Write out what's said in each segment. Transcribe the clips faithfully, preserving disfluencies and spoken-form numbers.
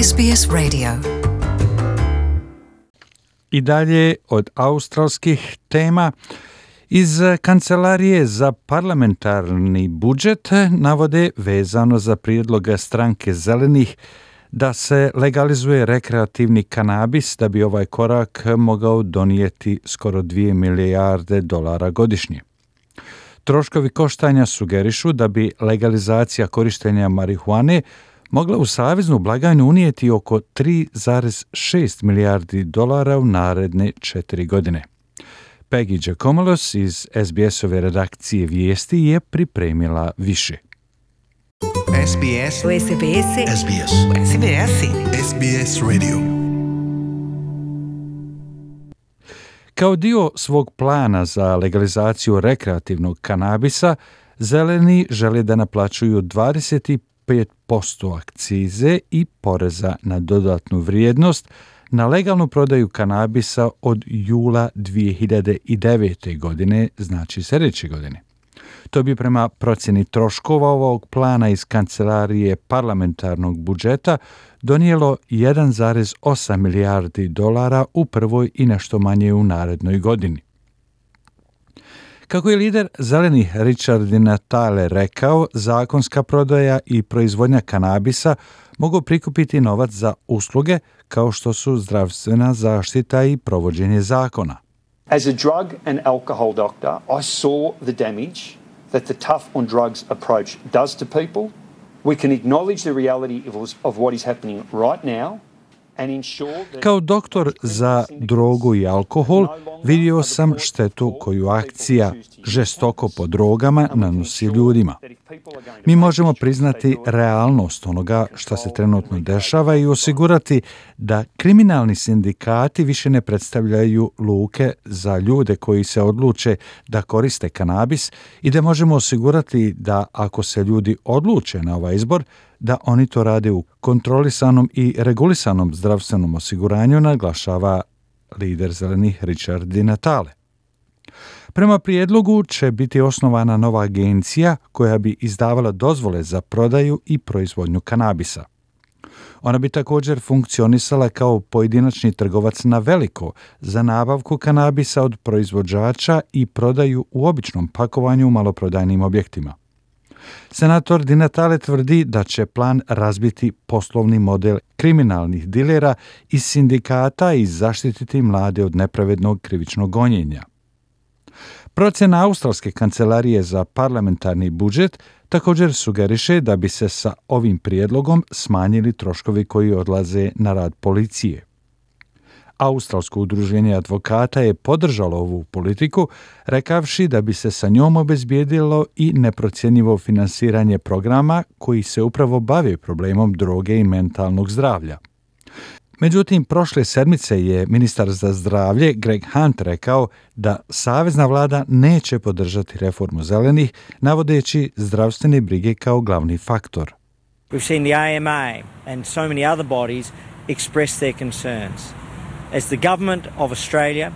S B S Radio. I dalje od australskih tema. Iz Kancelarije za parlamentarni budžet navode vezano za prijedlog stranke Zelenih da se legalizuje rekreativni kanabis da bi ovaj korak mogao donijeti skoro dvije milijarde dolara godišnje. Troškovi koštanja sugerišu da bi legalizacija korištenja marihuane mogla u saveznu blagajnu unijeti oko tri zarez šest milijardi dolara u naredne četiri godine. Peggy Giacomolos iz S B S-ove redakcije vijesti je pripremila više. S B S S B S S B S S B S S B S Radio. Kao dio svog plana za legalizaciju rekreativnog kanabisa, Zeleni žele da naplaćuju dvadeset pet posto akcize i poreza na dodatnu vrijednost na legalnu prodaju kanabisa od jula dvije hiljade devete. godine, znači sljedeće godine. To bi prema procjeni troškova ovog plana iz Kancelarije parlamentarnog budžeta donijelo jedan zarez osam milijardi dolara u prvoj i nešto manje u narednoj godini. Kako je lider Zelenih Richard Di Natale rekao, zakonska prodaja i proizvodnja kanabisa mogu prikupiti novac za usluge kao što su zdravstvena zaštita i provođenje zakona. As a drug and alcohol doctor, I saw the damage that the tough on drugs approach does to people. We can acknowledge the reality of, of what is happening right now. Kao doktor za drogu i alkohol vidio sam štetu koju akcija žestoko po drogama nanosi ljudima. Mi možemo priznati realnost onoga što se trenutno dešava i osigurati da kriminalni sindikati više ne predstavljaju luke za ljude koji se odluče da koriste kanabis i da možemo osigurati da ako se ljudi odluče na ovaj izbor, da oni to rade u kontrolisanom i regulisanom zdravstvenom osiguranju, naglašava lider Zelenih Richard Di Natale. Prema prijedlogu će biti osnovana nova agencija koja bi izdavala dozvole za prodaju i proizvodnju kanabisa. Ona bi također funkcionisala kao pojedinačni trgovac na veliko za nabavku kanabisa od proizvođača i prodaju u običnom pakovanju u maloprodajnim objektima. Senator Di Natale tvrdi da će plan razbiti poslovni model kriminalnih dilera iz sindikata i zaštititi mlade od nepravednog krivičnog gonjenja. Procjena Australske kancelarije za parlamentarni budžet također sugeriše da bi se sa ovim prijedlogom smanjili troškovi koji odlaze na rad policije. Australsko udruženje advokata je podržalo ovu politiku, rekavši da bi se sa njom obezbijedilo i neprocjenjivo finansiranje programa koji se upravo bave problemom droge i mentalnog zdravlja. Međutim, prošle sedmice je ministar za zdravlje Greg Hunt rekao da savezna vlada neće podržati reformu Zelenih, navodeći zdravstvene brige kao glavni faktor. We've seen the A M A and so many other bodies express their concerns. As the government of Australia,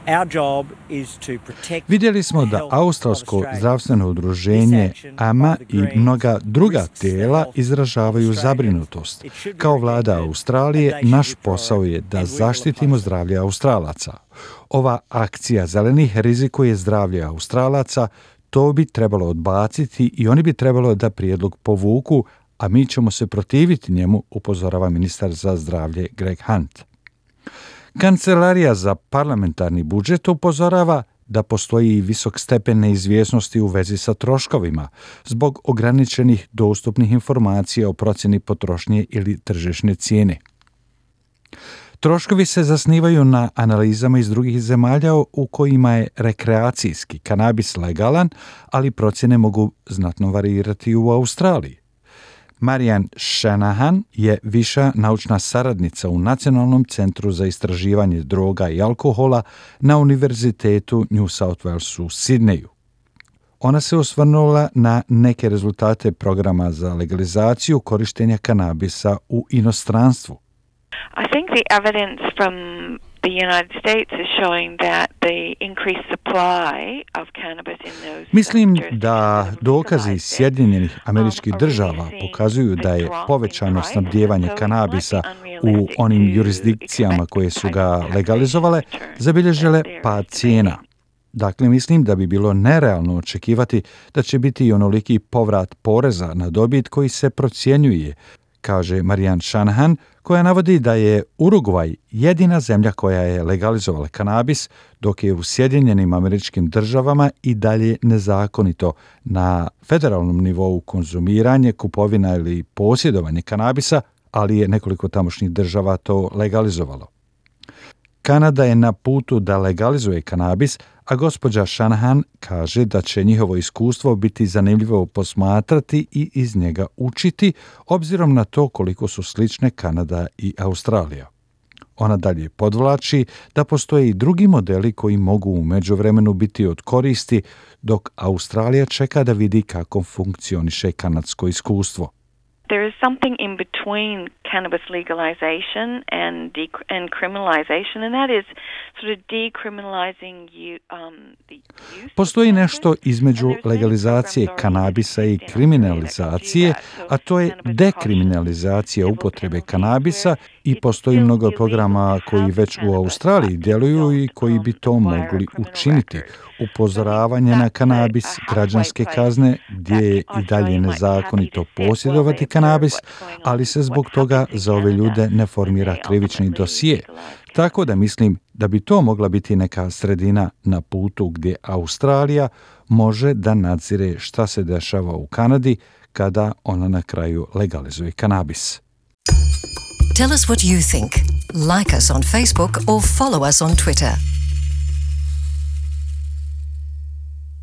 our job is to protect. Vidjeli smo da Australsko zdravstveno udruženje A M A i mnoga druga tijela izražavaju zabrinutost. Kao vlada Australije, naš posao je da zaštitimo zdravlje Australaca. Ova akcija Zelenih rizikuje zdravlje Australaca, to bi trebalo odbaciti i oni bi trebalo da prijedlog povuku, a mi ćemo se protiviti njemu, upozorava ministar za zdravlje Greg Hunt. Kancelarija za parlamentarni budžet upozorava da postoji visok stepen neizvjesnosti u vezi sa troškovima zbog ograničenih dostupnih informacija o procjeni potrošnje ili tržišne cijene. Troškovi se zasnivaju na analizama iz drugih zemalja u kojima je rekreacijski kanabis legalan, ali procjene mogu znatno varirati u Australiji. Marian Shanahan je viša naučna saradnica u Nacionalnom centru za istraživanje droga i alkohola na Univerzitetu New South Wales u Sidneju. Ona se osvrnula na neke rezultate programa za legalizaciju korištenja kanabisa u inostranstvu. I think the evidence from The United States is showing that the increased supply of cannabis in those Mislim da dokazi iz Sjedinjenih Američkih Država pokazuju da je povećano snabdijevanje kanabisa u onim jurisdikcijama koje su ga legalizovale zabilježile pad cijena. Dakle, mislim da bi bilo nerealno očekivati da će biti i onoliki povrat poreza na dobit koji se procjenjuje, kaže Marianne Shanahan, koja navodi da je Urugvaj jedina zemlja koja je legalizovala kanabis, dok je u Sjedinjenim Američkim Državama i dalje nezakonito na federalnom nivou konzumiranje, kupovina ili posjedovanje kanabisa, ali je nekoliko tamošnjih država to legalizovalo. Kanada je na putu da legalizuje kanabis, a gospođa Shanahan kaže da će njihovo iskustvo biti zanimljivo posmatrati i iz njega učiti, obzirom na to koliko su slične Kanada i Australija. Ona dalje podvlači da postoje i drugi modeli koji mogu u međuvremenu biti od koristi, dok Australija čeka da vidi kako funkcioniše kanadsko iskustvo. There is something in between cannabis legalization and de- and criminalization, and that is sort of decriminalizing you, um, the use. Postoji nešto između legalizacije kanabisa i kriminalizacije, a to je dekriminalizacija upotrebe kanabisa i postoji mnogo programa koji već u Australiji djeluju i koji bi to mogli učiniti. Upozoravanje na kanabis, građanske kazne, gdje je i dalje nezakonito posjedovati kanabis, ali se zbog toga za ove ljude ne formira krivični dosije. Tako da mislim da bi to mogla biti neka sredina na putu gdje Australija može da nadzire šta se dešava u Kanadi kada ona na kraju legalizuje kanabis. Tell us what you think. Like us on Facebook or follow us on Twitter.